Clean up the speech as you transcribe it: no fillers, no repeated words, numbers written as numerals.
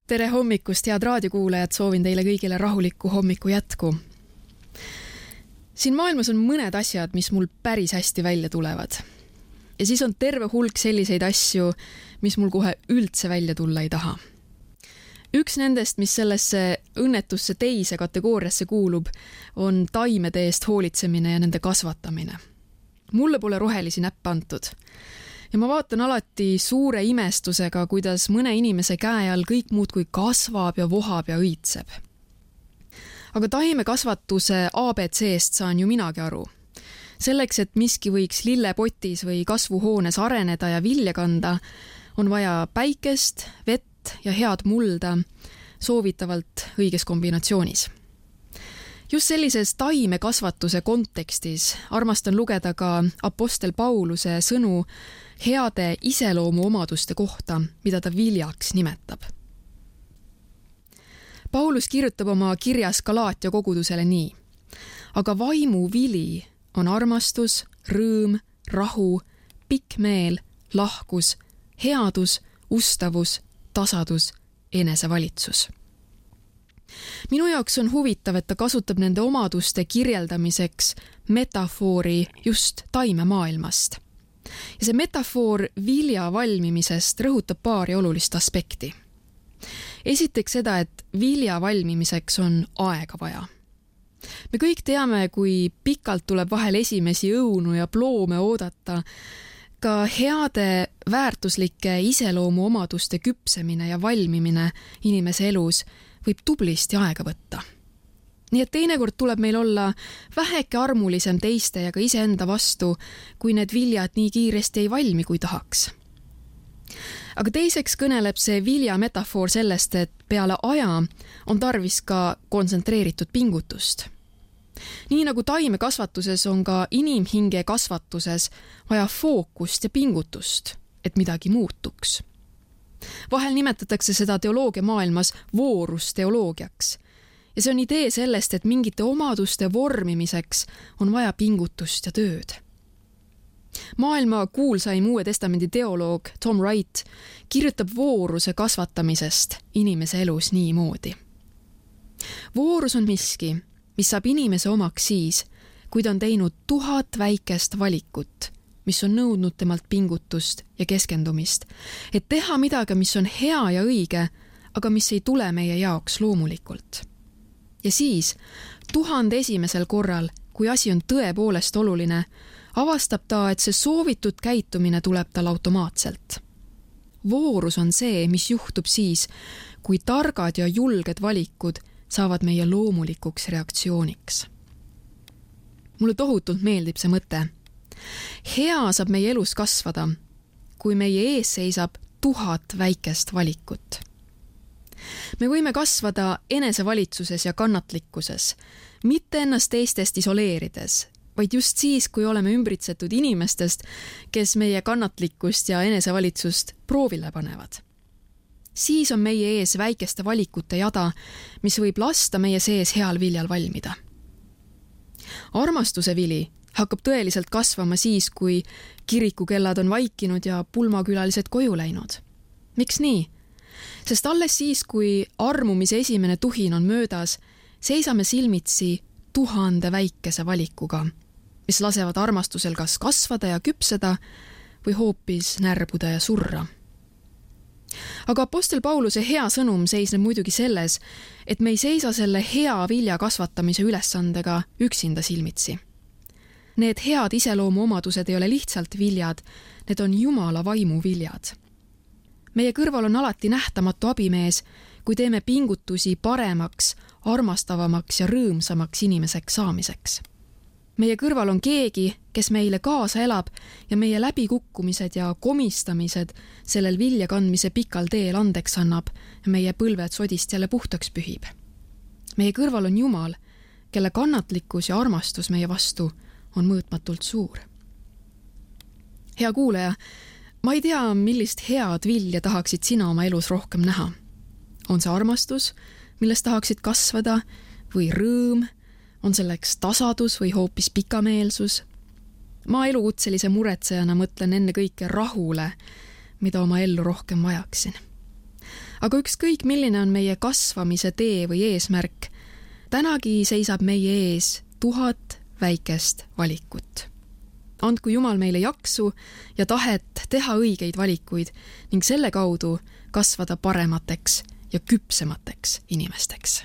Tere hommikust, head raadiokuulajad, soovin teile kõigile rahulikku hommiku jätku. Siin maailmas on mõned asjad, mis mul päris hästi välja tulevad. Ja siis on terve hulk selliseid asju, mis mul kohe üldse välja tulla ei taha. Üks nendest, mis sellesse õnnetusse teise kategooriasse kuulub, on taimede eest hoolitsemine ja nende kasvatamine. Mulle pole rohelisi näppe antud. Ja ma vaatan alati suure imestusega, kuidas mõne inimese käe all kõik muudkui kasvab ja vohab ja õitseb. Aga taimekasvatuse ABC-st saan ju minagi aru. Selleks, et miski võiks lillepotis või kasvuhoones areneda ja vilja kanda, on vaja päikest, vett ja head mulda, soovitavalt õiges kombinatsioonis. Just sellises taimekasvatuse kontekstis armastan lugeda ka Apostel Pauluse sõnu heade iseloomuomaduste kohta, mida ta viljaks nimetab. Paulus kirjutab oma kirjas Galaatia kogudusele nii. Aga vaimu vili on armastus, rõõm, rahu, pikk meel, lahkus, headus, ustavus, tasadus, enesevalitsus. Minu jaoks on huvitav, et ta kasutab nende omaduste kirjeldamiseks metafoori just taimemaailmast. Ja see metafoor vilja valmimisest rõhutab paari olulist aspekti. Esiteks seda, et vilja valmimiseks on aega vaja. Me kõik teame, kui pikalt tuleb vahel esimesi õunu ja ploome oodata. Ka heade väärtuslike iseloomuomaduste küpsemine ja valmimine inimese elus võib tublisti aega võtta. Nii et teinekord tuleb meil olla väheke armulisem teiste ja ka iseenda vastu, kui need viljad nii kiiresti ei valmi, kui tahaks. Aga teiseks kõneleb see vilja metafoor sellest, et peale aja on tarvis ka kontsentreeritud pingutust. Nii nagu taimekasvatuses on ka inimhinge kasvatuses vaja fookust ja pingutust, et midagi muutuks. Vahel nimetatakse seda teoloogia maailmas voorusteoloogiaks. Ja see on idee sellest, et mingite omaduste vormimiseks on vaja pingutust ja tööd. Maailma kuulsaim Uue Testamendi teoloog Tom Wright kirjutab vooruse kasvatamisest inimese elus niimoodi. Voorus on miski, mis saab inimese omaks siis, kui ta on teinud 1000 väikest valikut, mis on nõudnud temalt pingutust ja keskendumist, et teha midagi, mis on hea ja õige, aga mis ei tule meie jaoks loomulikult. Ja siis 1001. korral, kui asi on tõepoolest oluline, avastab ta, et see soovitud käitumine tuleb tal automaatselt. Voorus on see, mis juhtub siis, kui targad ja julged valikud saavad meie loomulikuks reaktsiooniks. Mulle tohutult meeldib see mõte. Hea saab meie elus kasvada, kui meie ees seisab 1000 väikest valikut. Me võime kasvada enesevalitsuses ja kannatlikkuses, mitte ennast teistest isoleerides, vaid just siis, kui oleme ümbritsetud inimestest, kes meie kannatlikkust ja enesevalitsust proovile panevad. Siis on meie ees väikeste valikute jada, mis võib lasta meie sees heal viljal valmida. Armastuse vili hakkab tõeliselt kasvama siis, kui kirikukellad on vaikinud ja pulmakülalised koju läinud. Miks nii? Sest alles siis, kui armumise esimene tuhin on möödas, seisame silmitsi 1000 väikese valikuga, mis lasevad armastusel kas kasvada ja küpseda või hoopis närbuda ja surra. Aga Apostel Pauluse hea sõnum seisneb muidugi selles, et me ei seisa selle hea vilja kasvatamise ülesandega üksinda silmitsi. Need head iseloomuomadused ei ole lihtsalt viljad, need on Jumala vaimu viljad. Meie kõrval on alati nähtamatu abimees, kui teeme pingutusi paremaks, armastavamaks ja rõõmsamaks inimeseks saamiseks. Meie kõrval on keegi, kes meile kaasa elab ja meie läbikukkumised ja komistamised sellel vilja kandmise pikal teel andeks annab ja meie põlved sodist jälle puhtaks pühib. Meie kõrval on Jumal, kelle kannatlikkus ja armastus meie vastu on mõõtmatult suur. Hea kuulaja, ma ei tea, millist head vilja tahaksid sina oma elus rohkem näha. On see armastus, millest tahaksid kasvada, või rõõm, on selleks tasadus või hoopis pikameelsus? Ma elukutselise muretsejana mõtlen enne kõike rahule, mida oma ellu rohkem vajaksin. Aga ükskõik, milline on meie kasvamise tee või eesmärk, tänagi seisab meie ees 1000 väikest valikut. Andku Jumal meile jaksu ja tahet teha õigeid valikuid ning selle kaudu kasvada paremateks ja küpsemateks inimesteks.